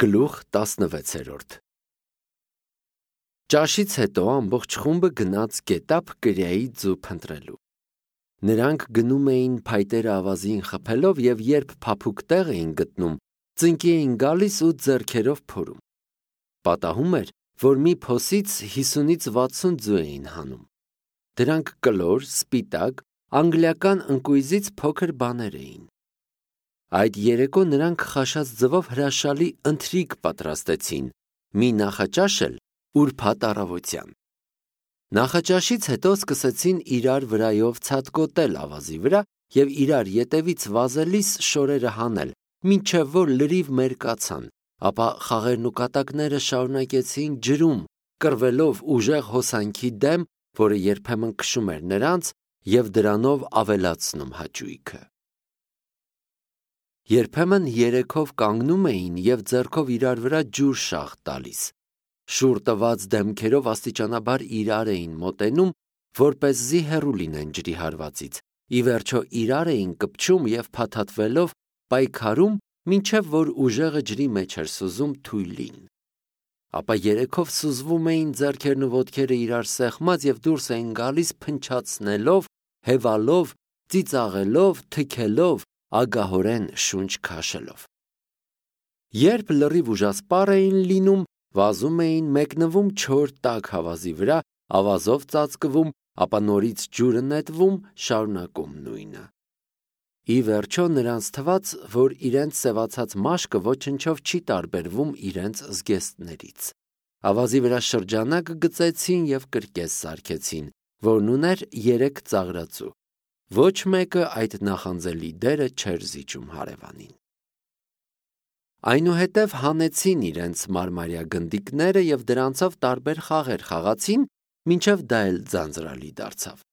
Գլուխ 16 Ճաշից հետո ամբողջ խումբը գնաց գետափ կրիայի ձու փնտրելու։ Նրանք գնում էին փայտերը ավազին խփելով և երբ փափուկ տեղ էին գտնում, ծնկի էին գալիս ու ձեռքերով փորում։ Պատահում էր, որ մի փոսից 50-ից 60 ձու էին հանում։ Դրանք կլոր, սպիտակ, անգլիական ընկույզից փոքր բաներ էին։ Այդ երեկո նրանք խաշած ձվով հրաշալի ընթրիք պատրաստեցին, մի նախաճաշ էլ ուրբաթ առավոտյան։ Նախաճաշից հետո սկսեցին իրար վրայով ցատկոտել ավազի վրա և իրար ետևից վազելիս շորերը հանել, մինչև որ լրիվ մերկացան, ապա խաղերն ու կատակները շարունակեցին ջրում, կռվելով ուժեղ հոսանքի դեմ, որը երբեմն քշում էր նրանց և դրանով ավելացնում հաճույքը։ Երբեմն երեքով կանգնում էին և ձեռքով իրար վրա ջուր շաղ տալիս։ Շուռ տված դեմքերով աստիճանաբար իրար էին մոտենում, որպեսզի հեռու լինեն ջրի հարվածից, ի վերջո իրար էին կպչում և փաթաթվելով պայքարում, մինչև որ ուժեղը ջրի մեջ էր սուզում թույլին։ Ապա երեքով սուզվում էին ձեռքերն ու ոտքերը իրար սեղմած և դուրս էին գալիս փնչացնելով, հևալով, ծիծաղելով, թքելով, ագահորեն շունչ քաշելով։ Երբ լրիվ ուժասպառ էին լինում, վազում էին, մեկնվում չոր տաք հավազի վրա, ավազով ծածկվում, ապա նորից ջուրը նետվում, շարունակում նույնը։ Ի վերջո նրանց թվաց, որ իրենց սևացած մաշկը ոչնչով չի տարբերվում իրենց զգեստներից։ Ավազի վրա շրջանակ գծեցին և կրկես սարքեցին, որն ուներ 3 ծաղրածու։ Ոչ մեկը այդ նախանձելի դերը չէր զիջում հարևանին։ Այնուհետև հանեցին իրենց մարմարյա գնդիկները և դրանցով տարբեր խաղեր խաղացին, մինչև դա էլ ձանձրալի դարձավ։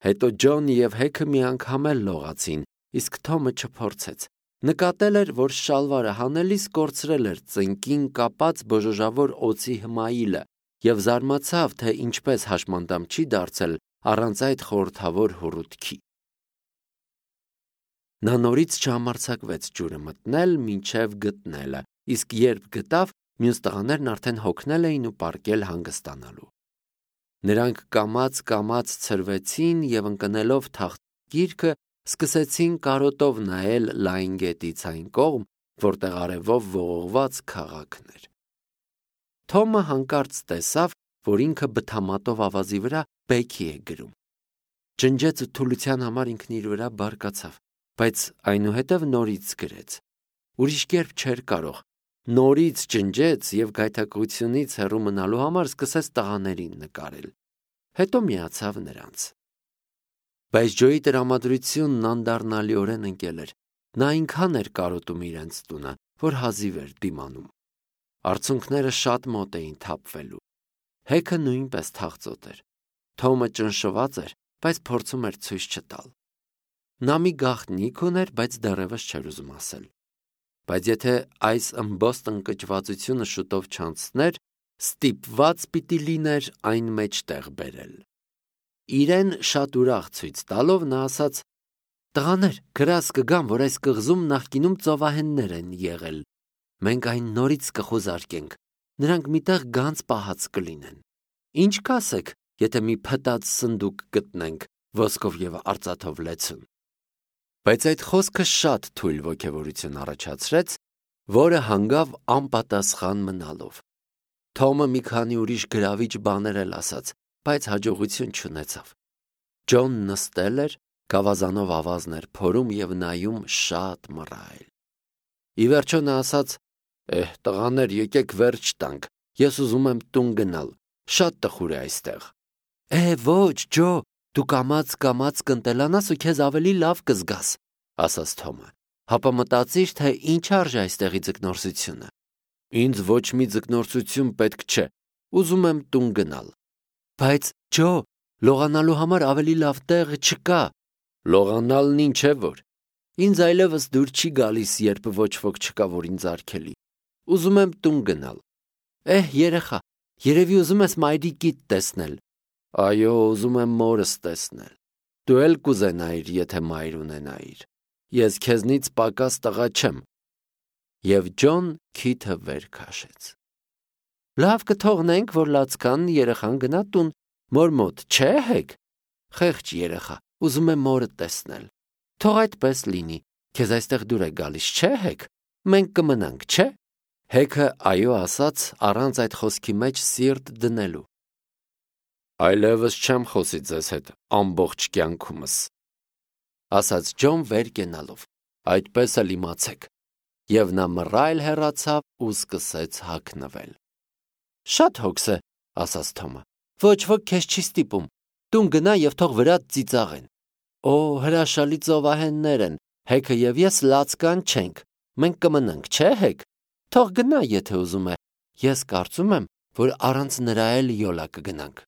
Հետո Ջոնը և Հեքը մի անգամ էլ լողացին, իսկ Թոմը չփորձեց։ Նկատել էր, որ շալվարը հանելիս կորցրել էր ծնկին կապած բոժոժավոր օձի հմայիլը և զարմացավ, թե ինչպես հաշմանդամ չի դարձել առանց այդ խորհրդավոր հոռութքի։ Նա նորից չհամարձակվեց ջուրը մտնել մինչև գտնելը, իսկ երբ գտավ, մյուս տղաներն արդեն հոգնել էին ու պառկել հանգստանալու։ Նրանք կամաց ցրվեցին և ընկնելով թախծիրքը սկսեցին կարոտով նայել լայն գետից այն կողմ, որտեղ արևով ողողված քաղաքն էր։ Թոմը հանկարծ տեսավ, որ ինքը բթամատով ավազի վրա բեքի է գրում։ Ջնջեց ու թուլության համար ինքն իր վրա բարկացավ, բայց այնուհետև նորից գրեց։ Ուրիշ կերպ չէր կարող։ Նորից ջնջեց և գայթակղությունից հեռու մնալու համար սկսեց տղաներին նկարել։ Հետո միացավ նրանց։ Բայց Ջոյի տրամադրությունն անդառնալիորեն ընկել էր։ Նա այնքան էր կարոտում իրենց տունը, որ հազիվ էր դիմանում։ Արցունքները շատ մոտ էին թափվելու։ Հեքը նույնպես թախծոտ էր։ Թոմը ճնշված էր, բայց փորձում էր ցույց չտալ։ Նա մի գաղտնիք ուներ, բայց դեռևս չէր ուզում ասել։ Բայց եթե այս ըմբոստ ընկճվածությունը շուտով չանցներ, ստիպված պիտի լիներ այն մեջտեղ բերել։ Իրեն շատ ուրախ ցույց տալով նա ասաց. «Տղաներ, գրազ կգամ, որ այս կղզում նախկինում ծովահեններ են եղել։ Մենք այն նորից կխուզարկենք, նրանք միտեղ գանձ պահած կլինեն։ Ինչ կասեք, եթե մի փտած սնդուկ գտնենք, ոսկով և արծաթով լեցուն»։ Բայց այդ խոսքը շատ թույլ ոգևորություն առաջացրեց, որը հանգավ անպատասխան մնալով։ Թոմը մի քանի ուրիշ գրավիչ բաներ էլ ասաց, բայց հաջողություն չունեցավ։ Ջոնն նստել էր, գավազանով ավազն էր փորում և նայում շատ մռայլ։ Ի վերջո նա ասաց. տղաներ, եկեք վերջ տանք, ես ուզում եմ տուն գնալ, շատ տխուր է այստեղ։ Ոչ, Ջո, դու կամաց կընտելանաս ու քեզ ավելի լավ կզգաս, ասաց Թոմը, հապա մտածիր, թե ինչ արժե այստեղի ձկնորսությունը։ Ինձ ոչ մի ձկնորսություն պետք չէ, ուզում եմ տուն գնալ։ Բայց Ջո, լողանալու համար ավելի լավ տեղ չկա։ Լողանալն ինչ է որ։ Ինձ այլևս դուր չի գալիս, երբ ոչ ոք չկա, որ ինձ արգելի։ Ուզում եմ տուն գնալ։ Երեխա, երևի ուզում ես մայրիկիդ տեսնել։ Այո, ուզում եմ մորս տեսնել։ Դու էլ կուզենայիր, եթե մայր ունենայիր։ Ես քեզնից պակաս տղա չեմ։ Եվ Ջոն քիթը վեր քաշեց։ Լավ կթողնենք, որ լացկանն երեխան գնա տուն, մոր մոտ չէ հեկ։ Խեղճ երեխա, ուզում է մորը տեսնել։ Թող այդպես լինի, քեզ այստեղ դուր է գալիս, չէ հեկ։ Մենք կմնանք, չէ։ Հեքը այո ասաց առանց այդ խոսքի մեջ սիրտ դնելու։ Այլևս չեմ խոսի ձեզ հետ ամբողջ կյանքումս, ասաց Ջոն վեր կենալով, այդպես էլ իմացեք։ Եվ նա մռայլ հեռացավ ու սկսեց հագնվել։ Շատ հոգս է, ասաց Թոմը, ոչ ոք քեզ չի ստիպում, տուն գնա և թող վրադ ծիծաղեն։ Օ, հրաշալի ծովահեններ են, հեքը և ես լացկան չենք, մենք կմնանք, չէ հեկ, թող գնա, եթե ուզում է, ես կարծում եմ, որ առանց նրա էլ յոլա կգնանք։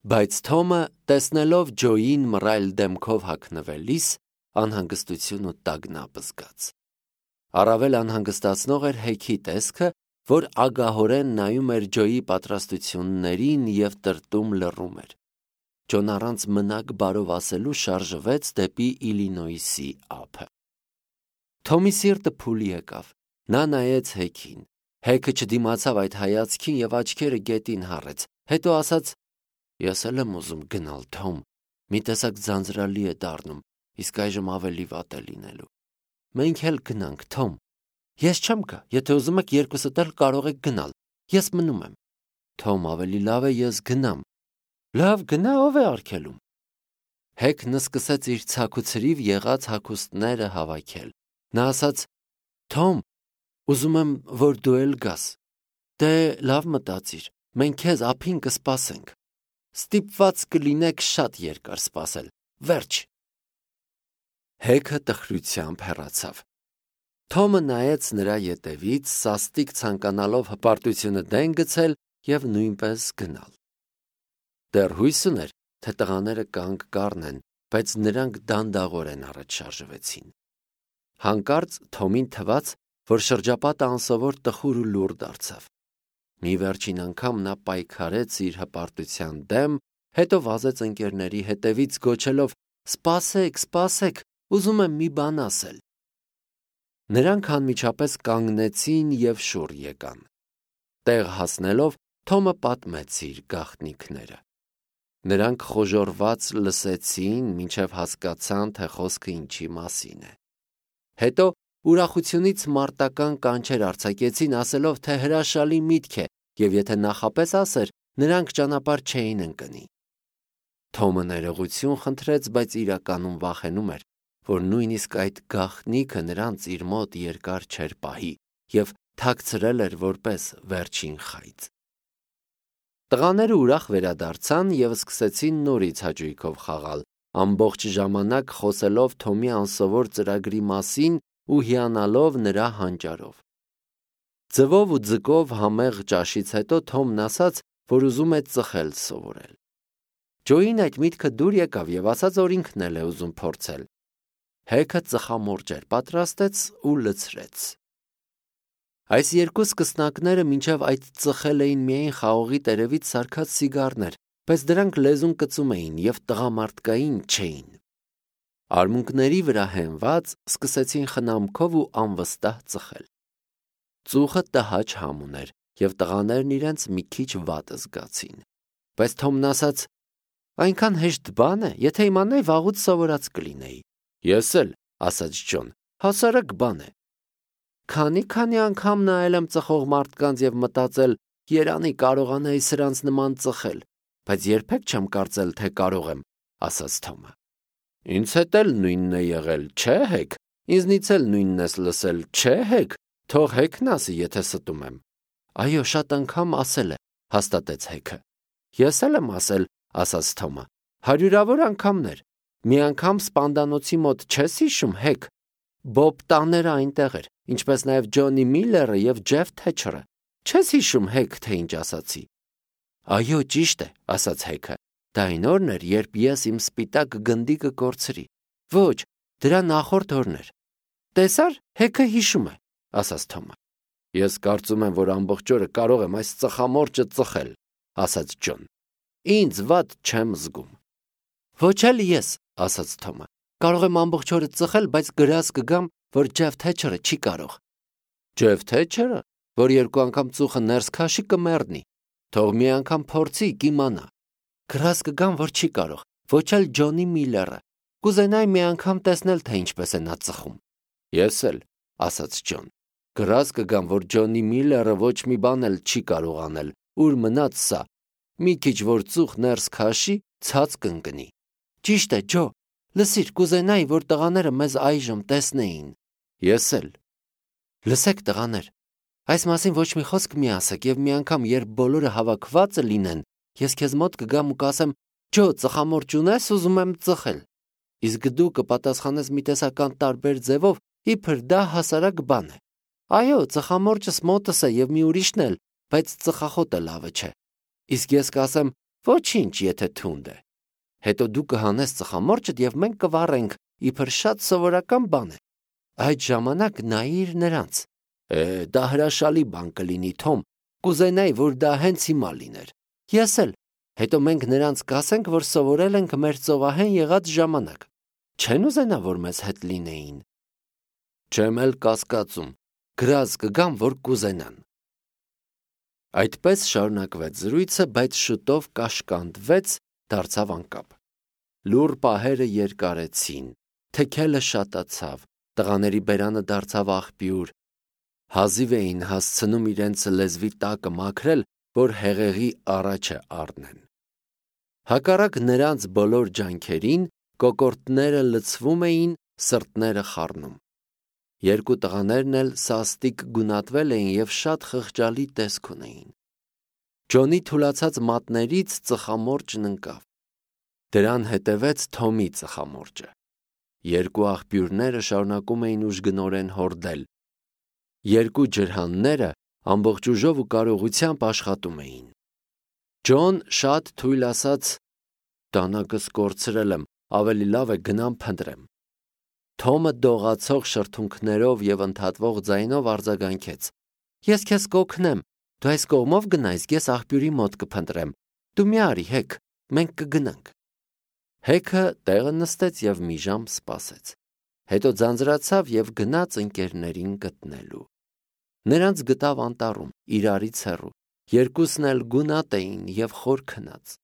Բայց Թոմը, տեսնելով Ջոյին մռայլ դեմքով հագնվելիս, անհանգստություն ու տագնապ զգաց։ Առավել անհանգստացնող էր Հեքի տեսքը, որ ագահորեն նայում էր Ջոյի պատրաստություններին և տրտում լռում էր։ Ջոն առանց մնակ բարով ասելու շարժվեց դեպի Իլինոյսի ափը։ Թոմի սիրտը փուլ եկավ։ Նա նայեց Հեքին։ Հեքը չդիմացավ այդ հայացքին և աչքերը գետին հառեց, հետո ասաց. Ես էլ եմ ուզում գնալ, Թոմ, մի տեսակ ձանձրալի է դառնում, իսկ այժմ ավելի վատ է լինելու։ Մենք էլ գնանք, Թոմ։ Ես չեմ գա, եթե ուզում եք երկուսդ էլ կարող եք գնալ, ես մնում եմ։ Թոմ, ավելի լավ է ես գնամ։ Լավ, գնա, ով է արգելում։ Հեքն սկսեց իր ցաքուցրիվ եղած հագուստները հավաքել։ Նա ասաց. Թոմ, ուզում եմ, որ դու էլ գաս։ Դե լավ մտածիր, մենք քեզ ափին կսպասենք։ Ստիպված կլինեք շատ երկար սպասել, վերջ։ Հեքը տխրությամբ հեռացավ։ Թոմը նայեց նրա ետևից, սաստիկ ցանկանալով հպարտությունը դեն գցել և նույնպես գնալ։ Դեռ հույս ուներ, թե տղաները կանգ կառնեն, բայց նրանք դանդաղորեն առաջ շարժվեցին։ Հանկարծ Թոմին թվաց, որ շրջապատը անսովոր տխուր ու լուռ դարձավ։ Մի վերջին անգամ նա պայքարեց իր հպարտության դեմ, հետո վազեց ընկերների հետևից գոչելով. Սպասեք, սպասեք, ուզում եմ մի բան ասել։ Նրանք անմիջապես կանգնեցին և շուռ եկան։ Տեղ հասնելով Թոմը պատմեց իր գաղտնիքները։ Նրանք խոժոռված լսեցին, մինչև հասկացան, թե խոսքը ինչի մասին է։ Հետո ուրախությունից մարտական կանչեր արձակեցին, ասելով, թե հրաշալի միտք է, և եթե նախապես ասեր, նրանք ճանապարհ չէին ընկնի։ Թոմը ներողություն խնդրեց, բայց իրականում վախենում էր, որ նույնիսկ այդ գաղտնիքը նրանց իր մոտ երկար չէր պահի և թաքցրել էր որպես վերջին խայծ։ Տղաները ուրախ վերադարձան և սկսեցին նորից հաճույքով խաղալ, ամբողջ ժամանակ խոսելով Թոմի անսովոր ծրագրի մասին ու հիանալով նրա հանճարով։ Ձվով ու ձկով համեղ ճաշից հետո Թոմն ասաց, որ ուզում է ծխել սովորել։ Ջոյին այդ միտքը դուր եկավ և ասաց, որ ինքն էլ է ուզում փորձել։ Հեքը ծխամորճեր պատրաստեց ու լցրեց։ Այս երկու սկսնակները մինչև այդ ծխել էին միայն խաղողի տերևից սարքած սիգարներ, բայց դրանք լեզուն կծում էին և տղամարդկային չէին։ Արմունկների վրա հենված սկսեցին խնամքով ու անվստահ ծխել։ Ծուխը տհաճ համ ուներ, և տղաներն իրենց մի քիչ վատ զգացին։ Բայց Թոմն ասաց. այնքան հեշտ բան է, եթե իմանայի վաղուց սովորած կլինեի։ Ես էլ, ասաց Ջոն, հասարակ բան է։ Քանի անգամ նայել եմ ծխող մարդկանց և մտածել, երանի կարողանայի սրանց նման ծխել, բայց երբեք չեմ կարծել, թե կարող եմ, ասաց Թոմը։ Ինձ հետ էլ նույնն է եղել, չէ հեկ, ինձնից էլ նույնն ես լսել, չէ հեկ, թող Հեքն ասի, եթե ստում եմ։ Այո, շատ անգամ ասել է, հաստատեց Հեքը։ Ես էլ եմ ասել, ասաց Թոմը, հարյուրավոր անգամներ։ Մի անգամ սպանդանոցի մոտ չես հիշում, Հեք։ Բոբ տաները այնտեղ էր, ինչպես նաև Ջոնի Միլլերը և Ջեֆ Թեչերը։ Չես հիշում, Հեք, թե ինչ ասացի։ Այո, ճիշտ է, ասաց Հեքը։ Դա այն օրն էր, երբ ես իմ սպիտակ գնդիկը կորցրի։ Ոչ, դրա նախորդ օրն էր։ Տեսար, Հեքը հիշում է, ասաց Թոմը։ Ես կարծում եմ, որ ամբողջ օրը կարող եմ այս ծխամորճը ծխել, ասաց Ջոն։ Ինձ վատ չեմ զգում։ Ոչ էլ ես, ասաց Թոմը։ Կարող եմ ամբողջ օրը ծխել, բայց գրազ կգամ, որ Ջեֆ Թեչերը չի կարող։ Ջև թե չերը, որ երկու անգամ ծուխը ներս քաշի կմեռնի, թող մի անգամ փորձի կիմանա։ Գրած կգամ, որ չի կարող, ոչ էլ Ջոնի Միլլերը, կուզենայի մի անգամ տեսնել, թե ինչպես է նա ծխում։ Ես էլ, ասաց Ջոն, գրած կգամ, որ Ջոնի Միլլերը ոչ մի բան էլ չի կարող անել, ուր մնաց սա, մի քիչ որ ծուխ ներս քաշի, ցած կընկնի։ Ճիշտ է, Ջո, լսիր, կուզենայի, որ տղաները մեզ այժմ տեսնեին։ Ես էլ։ Լսեք, տղաներ, այս մասին ոչ մի խոսք մի ասեք, եւ մի անգամ, երբ բոլորը հավաքված լինեն, ես քեզ մոտ կգամ ու կասեմ. Ջո, ծխամորճ ունես, ուզում եմ ծխել։ Իսկ դու կպատասխանես մի տեսական տարբեր ձևով, իբր դա հասարակ բան է։ Այո, ծխամորճս մոտս է եւ մի ուրիշն էլ, բայց ծխախոտը լավը չէ։ Իսկ ես կասեմ. ոչինչ, եթե թունդ է։ Հետո դու կհանես ծխամորճդ եւ մենք կվառենք, իբր շատ սովորական բան է։ Այդ ժամանակ նայիր նրանց։ Դա հրաշալի բան կլինի, Թոմ, կուզենայի, որ դա հենց հիմա լիներ։ Ես էլ։ Հետո մենք նրանց կասենք, որ սովորել ենք մեր ծովահեն եղած ժամանակ։ Չեն ուզենա, որ մեզ հետ լինեին։ Չեմ էլ կասկածում, գրած կգամ, որ կուզենան։ Այդպես շարունակվեց զրույցը, բայց շուտով կաշկանդվեց, դարձավ անկապ։ Լուռ պահերը երկարեցին, թքելը շատացավ, տղաների բերանը դարձավ աղբյուր։ Հազիվ էին հասցնում իրենց լեզվի տակը մաքրել, որ հեղեղի առաջը առնեն։ Հակառակ նրանց բոլոր ջանքերին, կոկորդները լցվում էին, սրտները խառնում։ Երկու տղաներն էլ սաստիկ գունատվել էին եւ շատ խղճալի տեսք ունեին։ Ջոնի թուլացած մատներից ծխամորճն ընկավ։ Դրան հետևեց Թոմի ծխամորճը։ Երկու աղբյուրները շարունակում էին ուժգնորեն հորդել։ Երկու ջրհանները ամբողջ ուժով ու կարողությամբ աշխատում էին։ Ջոն շատ թույլ ասաց. «Դանակս կորցրել եմ, ավելի լավ է գնամ փնտրեմ»։ Թոմը դողացող շրթունքներով եւ ընդհատվող ձայնով արձագանքեց. «Ես քեզ կօգնեմ, դու այս կողմով գնա, իսկ ես աղբյուրի մոտ կփնտրեմ։ Դու մի արի, Հեք, մենք կգնանք»։ Հեքը տեղը նստեց եւ մի ժամ սպասեց։ Հետո ձանձրացավ եւ գնաց ընկերներին գտնելու։ Նրանց գտավ անտառում, իրարից հեռու, երկուսն էլ գունատ էին եւ խոր քնած։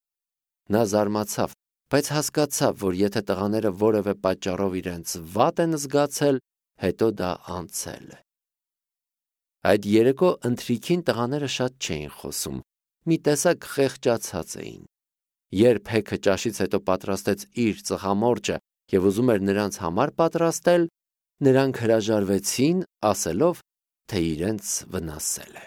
Նա զարմացավ, բայց հասկացավ, որ եթե տղաները որևէ պատճառով իրենց վատ են զգացել, հետո դա անցել է։ Այդ երեկո ընթրիքին տղաները շատ չէին խոսում, մի տեսակ խեղճացած էին։ Երբ Հեքը ճաշից հետո պատրաստեց իր ծխամորճը եւ ուզում էր նրանց համար պատրաստել, նրանք հրաժարվեցին, ասելով, թե իրենց վնասել է։